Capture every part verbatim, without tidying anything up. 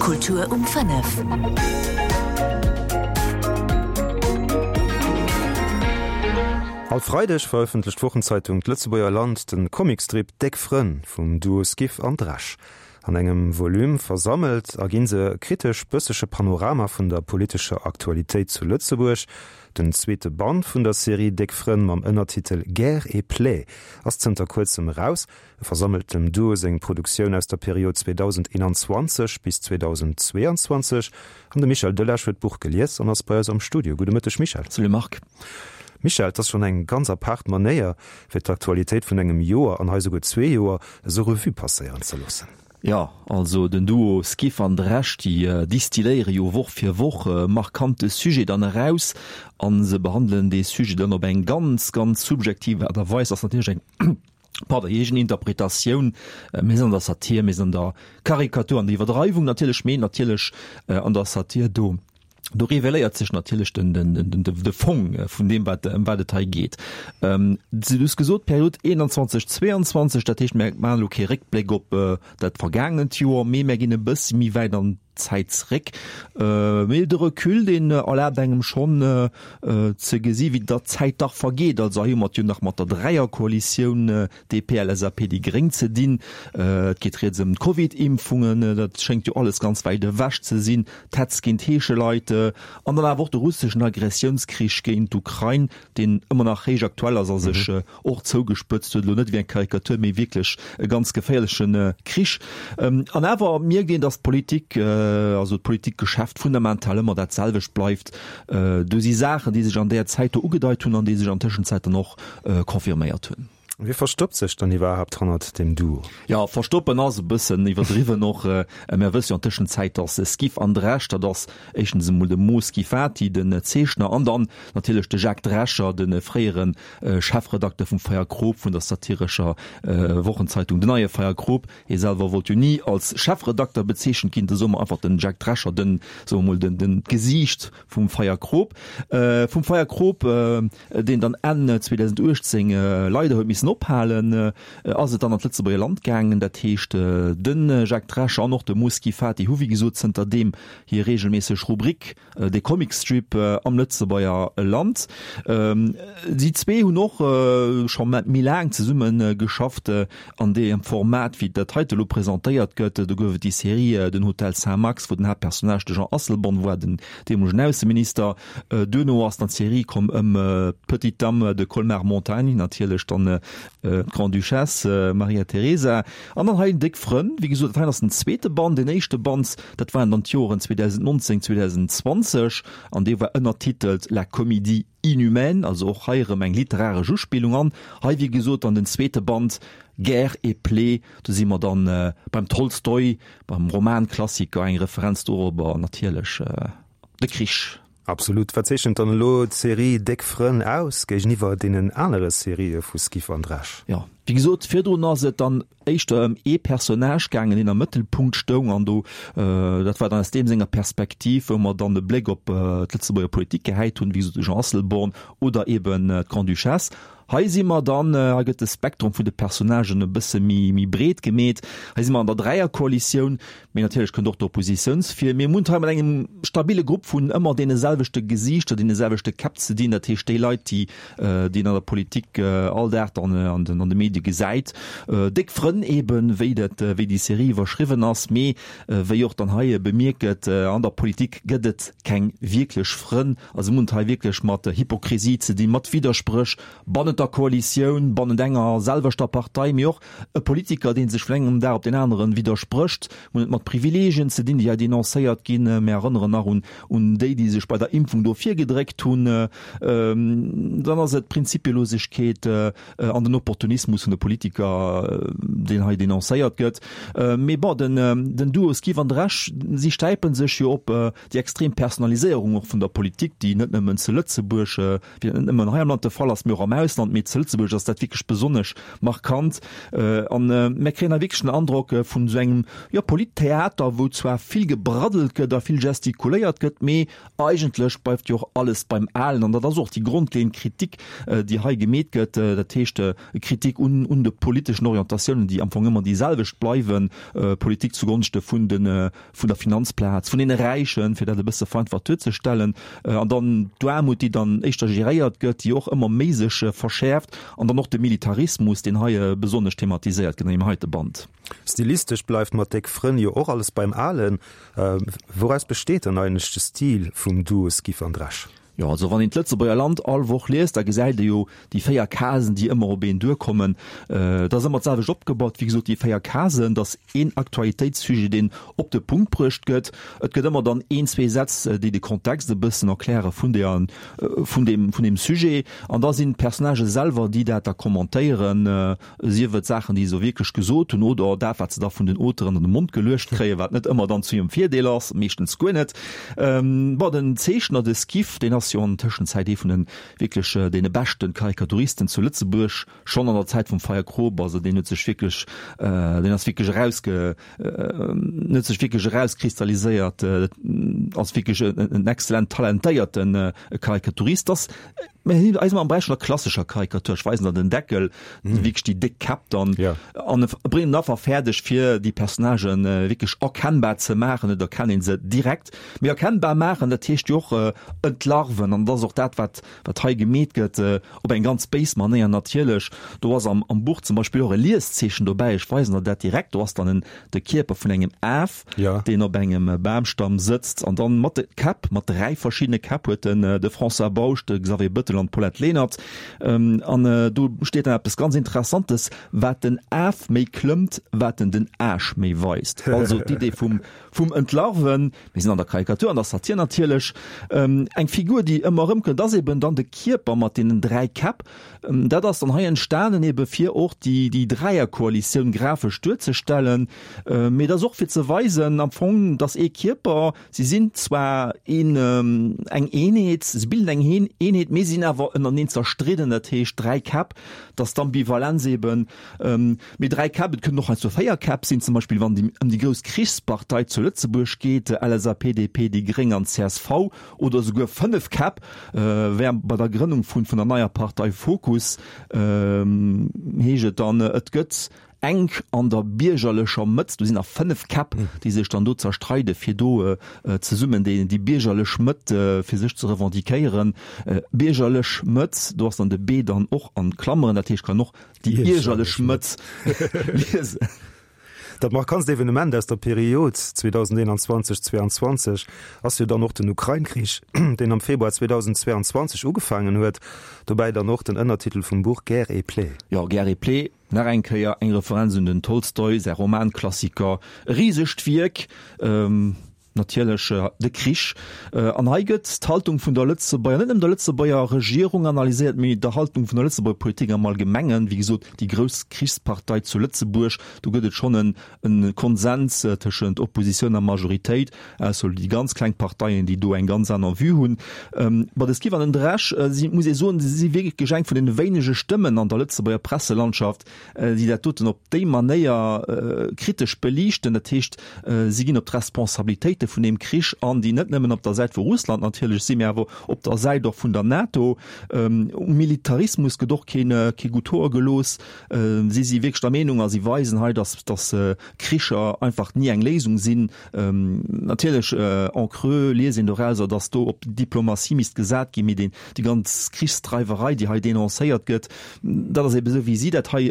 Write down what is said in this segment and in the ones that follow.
Kultur um fënnef. All Freideg verëffentlecht d'Wochenzeitung D'Lëtzebuerger Land de Comicstrip Déck Frënn vum Duo Skiff an Dresch. An engem Volume versammelt erginn se e kritesch-bëssege Panorama vun der politescher Aktualitéit zu Lëtzebuerg. Den zweete Band vun der Serie Déck Frënn mam Ënnertitel Guerre et Plaies ass zënter kuerzem eraus. E versammelt dem Duo seng Produktioun aus der Period zweedausendeenanzwanzeg bis zweedausendzweeanzwanzeg. An de Michel Delage huet d'Buch gelies an ass bei eis am Studio. Gudde Mëtteg Michel. Salut Marc. Michel, et ass schonn eng ganz apaart Manéier, fir d'Aktualitéit vun engem Joer, an hei souguer zwee Joer, esou Revue passéieren ze loossen. Jo, also den Duo Skiff an Dresch, déi distilléiere jo Woch fir Woch e markante Sujet dann eraus a se behandelen dee Sujet dann op eng ganz, ganz subjektiv Aart a Weis. Ass natierlech eng, pardon, eegen Interpretatioun. Mir sinn an der Satir, mir sinn an der Karikatur, an der Iwwerdreiwung natierlech, mee natierlech an der Satir do. Do reveléiert sech natierlech den, den, den, de Fong vun deem, wat, ëm wat et hei geet. Ähm, du hues gesot, d'Period eenanzwanzeg, zweeanzwanzeg, dat heescht, mir maachen elo kee Réckbléck op dat vergaangent Joer, mee mir ginn e bëssi méi wäit an d'Zäit zeréck. Mee de Recul, deen erlaabt engem schonn ze gesi wéi der Zäit dach vergeet. Also hei hu mer et jo nach mat der Dräierkoalitioun D P, L S A P, déi Gréng ze dinn. Et geet rieds ëm d'Covid-Impfungen, dat schéngt jo alles ganz wäit ewech ze sinn, d'Hetz géint Heescheleit an dann awer och de russeschen Agressiounskrich géint d'Ukrain, deen ëmmer nach héich aktuell ass a sech och zougespëtzt huet, elo net wéi eng Karikatur, mee wierklech e ganz geféierleche Krich. An awer mierkt een, datt d'Politik, also d'Politikgeschäft fundamental ëmmer dat selwecht bleift. Do si Saachen, déi sech an där Zäit do ugedeit hunn an déi sech an Tëschenzäit dann och confirméiert hunn. Wie verstoppt sech dann iwwerhaapt hannert dem Duo? Jo, verstoppen ass e bëssen iwwerdriwwen och. Mär wësse jo an Tëschenzäit, dass Skiff an Dresch, dat ass éischtens emol de Mo Schifati, den Zeechner, an dann natierlech de Jacques Drescher, de fréiere Chefredakter vum Feierkrop, vun der satirescher Wochenzeitung Den Neie Feierkrop. Hie selwer wollt jo ni als Chefredakter bezeechent ginn, da soe mer einfach den Jacques Drescher, den, soe mer mol, den, den, d'Gesiicht vum Feierkrop. Vum Feierkrop, deen dann Enn zweedausenduechtzéng leider huet missen ophalen, ass et dann an d'Lëtzebuerger Land gaangen. Dat heescht, de Jacques Drescher an och de Mo Schifati hu wéi gesot zënterdeem hir reegelméisseg Rubrik, de Comicstrip am Lëtzebuerger Land. Si zwee hunn och scho méi laang zesumme geschafft an deem Format, wéi dat heite elo presentéiert gëtt. Do gouf et déi Serie Den Hotel Saint-Max, wou den Haaptpersonnage de Jean Asselborn war, den deemolegen Ausseminister. Duerno ass dann d'Serie komm ëm d'Petite Dame de Colmar-Montagne, natierlech dann d'Grande-Duchesse Maria Teresa. An dann hei Déck Frënn, wéi gesot, dat hei ass den zweete Band. Deen éischte Band, dat waren dann d'Joren zweedausendnonzéng, zweedausendzwanzeg an dee war ënnertitelt La comédie inhumaine, also och hei erëm eng literaresch Uspillung. An hei, wéi gesot, dann den zweete Band Guerre et plaies, do si mer dann beim Tolstoi, beim Romanklassiker, eng Referenz dorobber natierlech de Krich. Absolut. Wat zeechent dann elo d'Serie Déck Frënn aus géigeniwwer deenen anere Serië vu Skiff an Dresch? Jo, wéi gesot, virdrun ass et dann éischter ëm ee Personnage gaangen, deen am Mëttelpunkt stoung an do, dat war dann aus deem senger Perspektiv, wou mer dann e Bléck op d'Lëtzebuerger Politik gehäit hunn, wéi gesot de Jean Asselborn oder eben d'Grande-Duchesse. Hei si mer dann, hei gëtt de Spektrum vun de Personnagen e bësse méi, méi breet gemeet. Hei si mer an der Dräierkoalitioun, mee natierlech kënnt och d'Oppositiouns vir. Mir hunn et hei mat engem stabile Grupp vun ëmmer deene selwechte Gesiichter, deene selwechte Käpp ze dinn, dat heescht déi Leit, déi, déi een an der Politik all Dag dann an den, an de Medie gesäit. Déck Frënn eben, wéi dat, wéi déi Serie iwwerschriwwen ass, mee wéi och dann hei bemierkt gëtt, an der Politik gëtt et keng wierklech Frënn. Also mir hunn et hei wierklech mat Hypokrisie ze dinn, mat Widderspréch bannent der Koalitioun, bannent enger selwechter Partei, mee och e Politiker, dee sech vun engem Dag op deen aneren widdersprécht. Mir hunn et mat Privileegien ze dinn, déi hei denoncéiert ginn. Mir erënneren nach un un déi, déi sech bei der Impfung do virgedréckt hunn. Dann ass et d'Prinzipielosegkeet an den Opportunismus vun de Politiker, deen hei denoncéiert gëtt. Mee bon, den den Duo Skiff an Dresch, si stäipe sech jo op déi extrem Personaliséierung och vun der Politik, déi net nëmmen zu Lëtzebuerg, déi net nëmmen hei am Land de Fall ass, mee och am Ausland. Ausland, mee zu Lëtzebuerg ass dat wierklech besonnesch markant. An mir kréien hei wierklech den Androck vun esou engem, jo, Polittheater, wou zwar vill gebraddelt gëtt a vill gestikuléiert gëtt, mee eigentlech bleift jo och alles beim Alen. An dat ass och déi grondleeënd Kritik, déi hei gemeet gëtt, dat heescht Kritik un un de politeschen Orientatiounen, déi am Fong ëmmer déi selwecht bleiwen, Politik zugonschte vun de vun der Finanzplaz, vun deene Räichen, fir dat e bësse vereinfacht duerzestellen, an dann d'Aarmut, déi dann éischter geréiert gëtt, déi och ëmmer méi sech verschäerft, an dann och de Militarismus, deen hei besonnesch thematiséiert gëtt an deem heite Band. Stilistesch bleift mat Déck Frënn jo och alles beim Alen. Wouraus besteet dann eigentlech de Stil vum Duo Skiff an Dresch? Jo, also wann een d'Lëtzebuerger Land all Woch liest, da gesäit ee jo déi véier Casen, déi ëmmer op een duerkommen. Et ass ëmmer d'selwecht opgebaut, wéi gesot, déi véier Casen, et ass een Aktualitéitssujet, deen op de Punkt bruecht gëtt. Et gëtt ëmmer dann een, zwee Sätz, déi de Kontext e bëssen erkläre vun der, vun deem, vun deem Sujet. An da sinn d'Personnagë selwer, déi dat da kommentéieren, sief et Saachen, déi se wierklech gesot hunn oder dat, wat se da vun den Auteuren an de Mond geluecht kréien, wat net ëmmer dann zu hirem Virdeel ass, meeschtens guer net. Bon, den Zeechner, de Skiff, deen ass jo an Tëschenzäit ee vun de wierklech deene beschte Karikaturisten zu Lëtzebuerg, schonn an der Zäit vum Feie Krop. Also deen huet sech wierklech, deen ass wierklech erausge, huet sech wierklech erauskristalliséiert als wierklech en exzellent talentéierte Karikaturist. Ass Mä hien eis am Beräich vun der klassescher Karikatur, ech weisen der den Deckel, mm. wierklech déi déck Käpp dann ja. an e bréngen einfach fäerdeg fir déi Personnagen äh, wierklech erkennbar ze maachen, et erkennt een se direkt. Mee erkennbar maachen, dat heescht jo och äh, entlarven an dat ass och dat wat wat hei gemeet gëtt äh, op eng ganz béis Manéier natierlech. Do ass am, am Buch zum Beispill och e Lieszeechen dobäi, ech weisen der dat direkt, do ass dann en, de Kierper vun engem Af, ja. deen op engem Bamstamm sëtzt an dann mat de Käpp, mat dräi verschiddene Käpp huet den de François Bausch, de Xavier Bëttel an d'Paulette Lenert. An do steet dann eppes ganz Interessantes, Wat den Af méi klëmmt, wat en den Aasch méi weist. Also d'Idee vum, vum Entlarven, mir sinn an der Karikatur, an der Satir natierlech. Eng Figur, déi ëmmer erëmkënnt, ass eben dann de Kierper mat deenen dräi Käpp. Dat ass dann hei entstanen ebe fir och déi, déi Dräierkoalitioun grafesch duerzestellen. Mee et ass och fir ze weisen am Fong, dass ee Kierper, si sinn zwar een, eng Eenheet, se bilden eng Eenheet, mee sinn awer ënnerteneen zerstridden, dat heescht dräi Käpp, dass d'Ambivalenz eben, mee dräi Käpp, et kënnen och heiansdo véier Käpp sinn, zum Beispill wann et ëm déi grouss Krichspartei zu Lëtzebuerg geet, L S A P, D P, déi Gréng an C S V, oder esouguer fënnef Käpp, wär bei der Grënnung vun der neier Partei Fokus, heescht et dann, et gëtt enk an der biergerlecher Mëtt, do sinn nach fënnef Käpp, déi sech dann do zerstreide fir do zesummen déi déi biergerlech Mëtt fir sech ze revendiquéieren. Biergerlech Mëtt, do ass dann de B dann och an Klammeren, dat heescht kann och déi iergerlech Mëtt liesen. Dat markantst Evenement aus der Period zweedausendeenanzwanzeg zweianzwanzeg ass jo dann och den Ukrain-Krich, deen am Februar zweedausendzweianzwanzeg ugefaangen huet. Dobäi dann och den Ënnertitel vum Buch Guerre et Paix. Jo, Guerre et Paix, nach eng Kéier eng Referenz un den Tolstoi säi Romanklassiker, e risegt Wierk. Natierlech de Krich. An hei gëtt d'Haltung vun der Lëtzebuerger, net nëmmen der Lëtzebuerger Regierung analyséiert, mee der Haltung vun der Lëtzebuerger Politik am Allgemengen. Wéi gesot, déi grouss Krichspartei zu Lëtzebuerg, do gëtt et schonn en Konsens tëschent Oppositioun a Majoritéit, ausser déi ganz kleng Parteien, déi do eng ganz aner Vue hunn. Bei de Skiff an den Dresch si, muss ee soen, si si wierklech eng vun deene wéinege Stëmmen an der Lëtzebuerger Presselandschaft, déi dat doten op déi Manéier kritesch beliichten. Dat heescht, si ginn op d'Responsabilitéite vun deem Krich an, déi net nëmmen op der Säit vu Russland natierlech sinn, mä awer op der Säit och vun der NATO. Um Militarismus gëtt och keen, kee gutt Hoer gelooss. Si si wierklech der Meenung a si weisen hei, datt, datt Kricher einfach ni eng Léisung sinn. Natierlech en creux liest een dorauser, datt do op Diplomatie misst gesat ginn, mee deen, déi ganz Krichsdreiwerei, déi hei denoncéiert gëtt, dat ass ebe sou, wéi si dat hei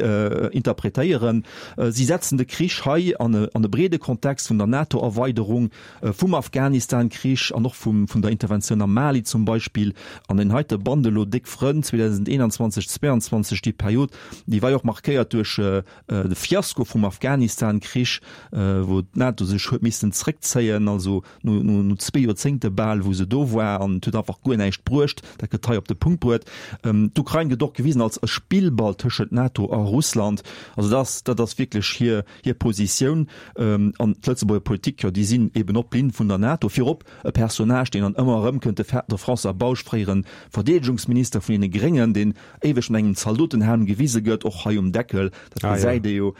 interpretéieren. Si setzen de Krich hei an e breede Kontext vun der NATO-Erweiderung, vum Afghanistan-Krich an och vum vun der Interventioun am Mali zum Beispill. An deen heite Band elo, Déck Frënn, zweedausendeentwanzeg, zweianzwanzeg, déi Period, déi war jo och markéiert duerch de Fiasko vum Afghanistan-Krich, wou d'NATO sech huet missen zréckzéien, also no no zwee Joerzéngte bal, wou se do war, an et huet einfach guer näischt bruecht. Dat gëtt hei op de Punkt bruet. D'Ukrain gëtt och gewisen als e Spillball tëschent NATO a Russland. Also dat ass, dat ass wierklech hir, hir Positioun. An d'Lëtzebuerger Politik, jo, déi sinn eben op Disziplin vun der NATO. Virop e Personnage, deen dann ëmmer erëmkënnt, de de François Bausch, fréiere Verdeedegungsminister vun deene Gréngen, deen éiweg mat engem Zaldotenhelm gewise gëtt, och hei um Deckel, dat gesäit ee jo,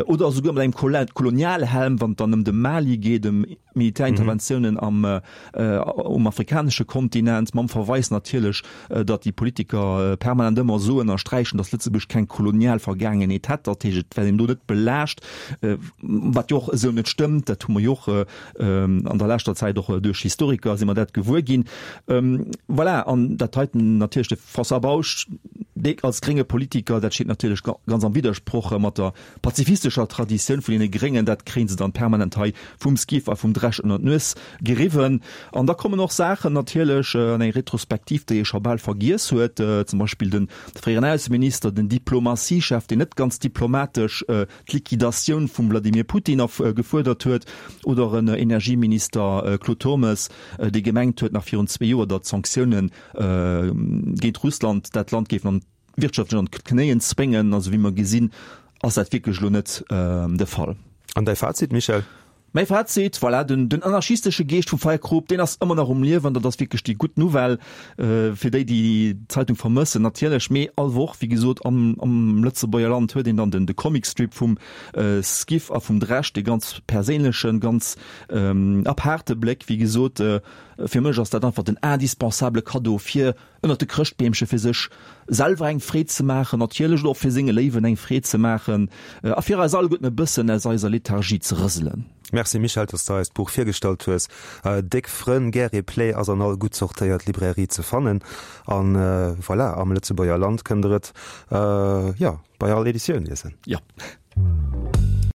oder esouguer mat engem Kolonialhelm, wann et dann ëm de Mali geet, ëm Militärinterventiounen am um afrikanesche Kontinent, mam Verweis natierlech, datt déi Politiker permanent ëmmer soen a sträichen, datt Lëtzebuerg keng kolonial Vergaangenheet hätt, dat heescht, et wär een do net belaascht, wat jo och esou net stëmmt, dat hu mer jo och an der leschter Zäit och duerch Historiker si mer dat gewuer ginn. Voilà, an dat heiten natierlech de François Bausch, dee als grénge Politiker, dat steet natierlech ganz am Widdersproch mat der pazifistescher Traditioun vun deene Gréngen, dat kréie se dann permanent hei vum Skiff a vum Dresch ënner d'Nues geriwwen. An da kommen och Saachen natierlech an eng Retrospektiv, déi ee scho bal vergiess huet, zum Beispill de fréieren Ausseminister, den Diplomatiechef, deen net ganz diplomatesch d'Liquidatioun vum Vladimir Putin gefuerdert huet, oder en Energieminister Claude Turmes, dee gemengt huet nach virun zwee Joer, datt d'Sanktioune géint Russland dat Land géifen an wirtschaftlech an d'Knéien zwéngen. Also wéi mer gesinn, ass dat wierklech elo net de Fall. An däi Fazit, Michel? Mäi Fazit, voilà, den, den anarchistesche Geescht vum Feierkrop, deen ass ëmmer nach um Liewen. Dat ass wierklech déi gutt Nouvelle fir déi, déi d'Zeitung vermëssen natierlech. Mee all Woch, wéi gesot, am, am Lëtzebuerger Land huet een dann den, de Comicstrip vum Skiff a vum Dresch, dee ganz perséinlechen, ganz apaarte Bléck. Wéi gesot, fir mech ass dat einfach den indispensable Kaddo fir ënnert de Chrëschtbeemche fir sech selwer eng Freed ze maachen, natierlech och fir senge Léiwen eng Freed ze maachen a fir eis alleguerten e bëssen aus eiser Lethargie ze rëselen. Merci Michèle, dass de eis d'Buch virgestallt hues. Déck Frënn, Guerre et Play ass an all gutt sortéiert Librairie ze fannen. An voilà, am Lëtzebuerger Land kënnt der et, jo, bei all Editioun liesen. Jo.